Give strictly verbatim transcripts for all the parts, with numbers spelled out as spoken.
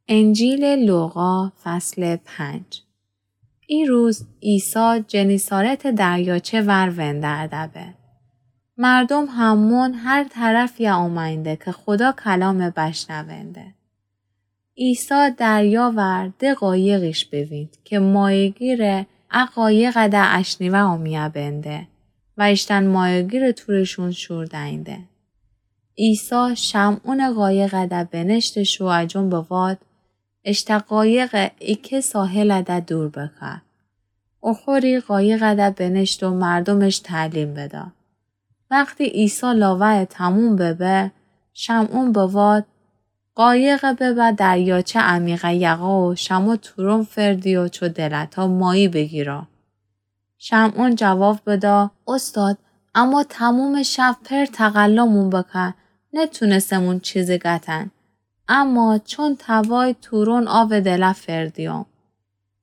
انجیل لوقا، فصل پنج. ای روز عیسی جنیسارت دریاچه ور وندرده به. مردوم همون هر طرفیه اومأنده که خودا کلامه بشنونده. عیسی دریا ور ده قایقیش بویند که مایه‌گیره ا قایقه ده اشنیوه اومیه بنده و ایشتن مایه‌گیره تورشون شور دینده. عیسی شمعونٚ قایقه ده بنشته شو اجون بواد، اشته قایقه ایکه ساحله ده دور بکه. اوخوری قایقه ده بنشته و مردومش تعلیم بده. وختی عیسی لاوه‌یه تموم ببه، شمعون بواد، قایقه ببر دریاچه عمیقه یقا و شمو تورون فردی و چو دلتا ماهی بگیره. شمعون جواب بده، اوستاد، اما تمومٚ شب پر تقلامون بکه، نتونستمون چیزی گتن. اما چون توای تورون آوٚ دله فردیوم.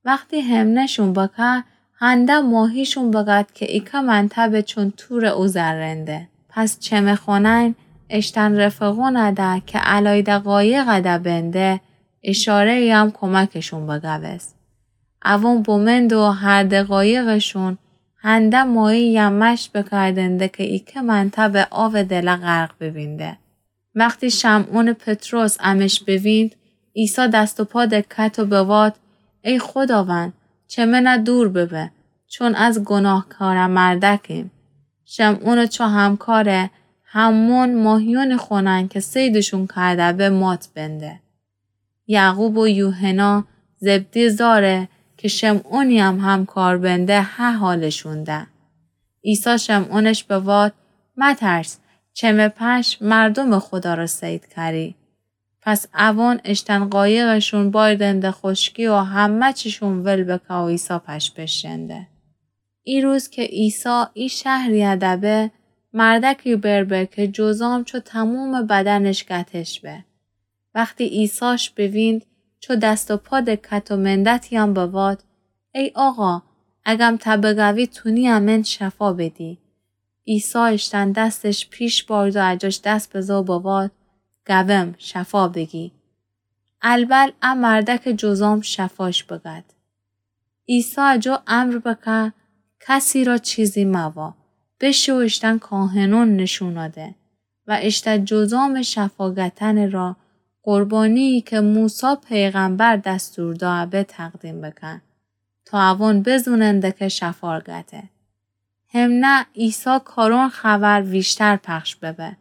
وختی حمله‌شون بکه، هنده ماهیشون بگد که ایکه منتبه چون تورٚ او ذره‌نده. پس چمه خونین اشتن رفقون ده که علایده قایقه ده بنده، اشاره‌یم کمکشون بگوست. اوون بمند و هر ده قایقشون هنده ماهی‌یم مشت بکردنده که ایکه منتبه آوٚ دله غرق ببینده. وختی شمعونٚ پطرس امش بوینید، عیسی دست و پا دکت و بواد، ای خوداوند، چه منه دور ببه، چون از گناهکاره مردکیم. شمعونٚ چو همکاره همون ماهیونی خونن که صیدشون کرده به مات بنده. یعقوب و یوحنا زبدی زاره که شمعونی هم همکار بنده ها حالشون ده. عیسی شمعونش بواد، مترس، چمه پش مردومٚ خودا را صید کری. پس اوان اشتن قایقشون بایدنده خوشکی و همه چیشون ول بکه و عیسی پش بشنده. ای روز که عیسی ای شهریه ده به، مردکی بر به که جذام چو تمومٚ بدنش گتش به. وختی عیساش بویند، چو دست و پا دکت و مندتیان بواد، ای آقا، اگم ته بگوی تونی امن شفا بدی. عیسی اشتن دستش پیش بارد و اجاش دست بزه و بواد، گوم، شفا بگی. البل ا مردکٚ جذام شفاش بگد. عیسی اجو امر بکه، کسی را چیزی موا، بشه و اشتن کاهنون نشون آده و اشته جذامٚ شفا گتنٚ را قربانی‌ای که موسی پیغمبر دستور دأ به تقدیم بکن، تا اوان بزوننده که شفا گته. همنه عیسی کارون خبر ویشتر پخش ببه.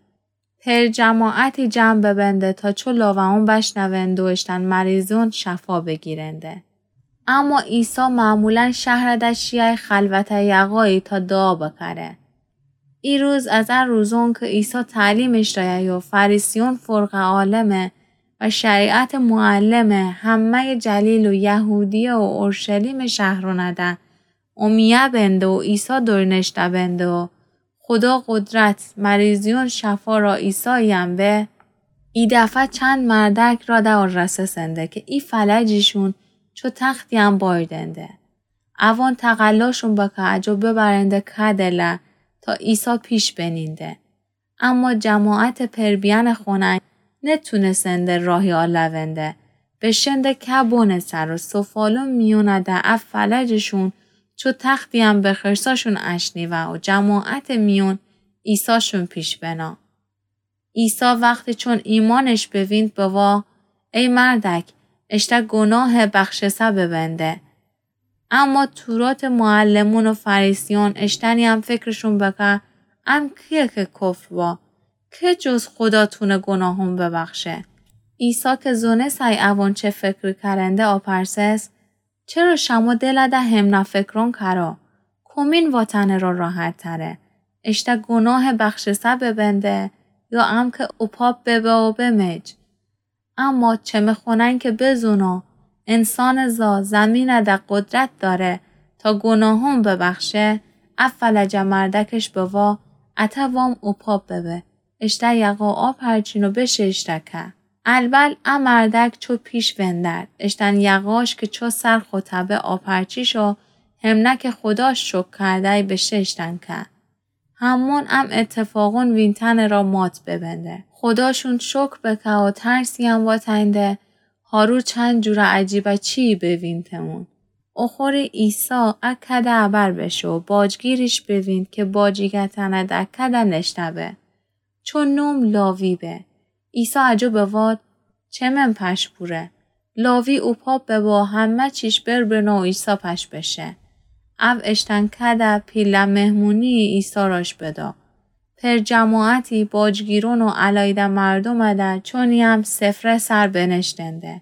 پر جماعتی جمع ببنده تا چو لاوه‌ان بشنوند و اشتن مریضون شفا بگیرنده. اما عیسی معمولاً شهره ده شیای خلوته یقایی تا دعا بکره. ای روز از ا روزون که عیسی تعلیمش دایه و فریسیون فرقه عالمه و شریعتٚ معلمه همه‌یٚ جلیل و یهودیه و اورشلیمٚ شهرونه ده اومیه بنده و عیسی دورنشته بنده و خودا قدرت مریضیون شفا را عیساییم به، ای دفعه چند مردک را ده رسسنده که ای فلجیشون چو تختییم بایدنده. اوان تقلاشون بکه اجو ببرنده که دله تا عیسی پیش بنینده. اما جماعتٚ پر بیأنٚ خونین نتونسنده راهی آلونده. بشنده که بنٚ سر و سفالون میونه ده ا فلجشون چو تختییم به خرساشون اشنیوه و جماعتٚ میون عیساشون پیش بنه. عیسی وختی چون ایمانش بویند بوا، ای مردک، اشته گناهه بخشسه ببنده. اما توراتٚ معلمون و فریسیون اشتنییم فکرشون بکه، ام کیه که کفر وا؟ که جز خودا تونه گناهون ببخشه؟ عیسی که زونسه ای اوان چه فکری کرنده آپرسس، چرا شمو دله ده همنا فکرون کرا؟ کومین واتنٚ را راحت‌تره؟ اشته گناهه بخشسه ببنده یا ام که اوپاپ ببه و بمج؟ اما چه می‌خونن که بزونو انسانٚ زا زمینه ده قدرت داره تا گناهون ببخشه، ا فلجه مردکش بوا، اته وام اوپاپ ببه، اشته یقا آپرچین و بشه اشته که. البل ا مردک چو پیش وندرد، اشتن یقاش که چو سر خوتبه آپرچیش و همنه که خوداش شکر کردی بشه اشتن که. همون ام اتفاقون وینتنٚ را مات ببنده. خوداشون شکر بکه و ترسییم واتنده، هارو چند جورٚ عجیبٚ چیی بوینتمون. اوخوری عیسی ا کده ابر بشه و باجگیریش بوینت که باجیگتنه ده کده نشته به. چون نوم لاوی به. عیسی اجو بواد، چمن پش بوره؟ لاوی اوپا ببه و همه چیش بر بنه و عیسی پش بشه. او اشتن کده پیله مهمونی عیسی راش بدا. پر جماعتی باجگیرون و الایده مردومه ده چونی‌یم سفره سر بنشتنده.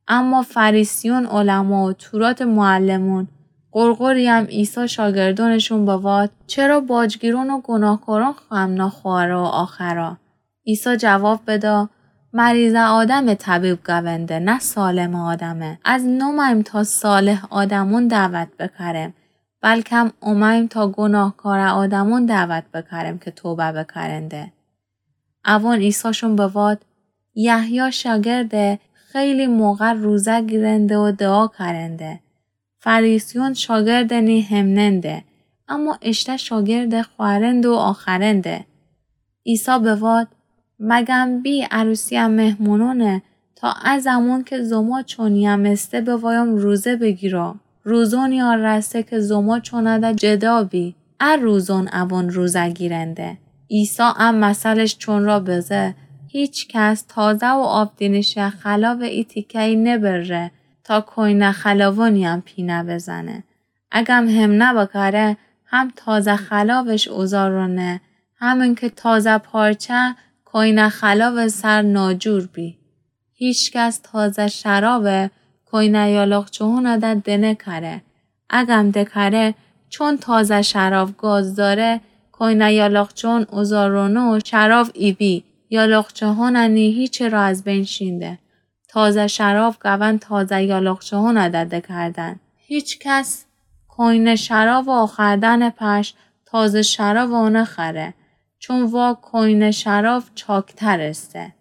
اما فریسیون، علما و تورات معلمون، قرقری‌یم عیسی شاگردونشون بواد، چرا باجگیرون و گناهکارون خم ناخواره و آخره؟ عیسی جواب بدا، مریضه آدمه طبیب گونده، نه سالمه آدمه. از نومایم تا صالح آدمون دعوت بکرم، بلکم اومایم تا گناهکاره آدمون دعوت بکرم که توبه بکرنده. اوان عیساشون بواد، یحیی شاگرده خیلی موقع روزه گیرنده و دعا کرنده. فریسیون شاگردٚ نی همننده، اما اشته شاگردٚ خوأرنده و آخرنده. عیسی بواد، مگم بی عروسی‌یه مهمونونه تا ا زمون که زما چونی‌یم استه بوایوم روزه بگیرا؟ روزونی‌یه رسه که زما چونه ده جدا بی. ا روزون اوان روزه گیرنده. عیسی ا مثلش چون را بزه، هیچ کس تازه و آبدینیشه خلاوٚ ای تیکه‌یی نبره تا کوینه خلاوونی‌یم پینه بزنه. اگم همنه بکره، هم تازه خلاوش اوزارونه، همین که تازه پارچه کوینه خلاوٚ سر ناجور بی. هیچ کس تازه شراوه کوینه یالاقچه‌هونه ده دنکره. اگم دکره، چون تازه شراو گاز داره، کوینه یالاقچه‌هون اوزارونه و شراو ایبی، یالاقچه‌هونه نی هیچه را از بین شینده. تازه شراو گون تازه یالاقچه‌هونه ده دکردن. هیچ کس کوینه شراو آخردنٚ پش تازه شراو اونخره، چون وا کوینه شراو چاکتر استه.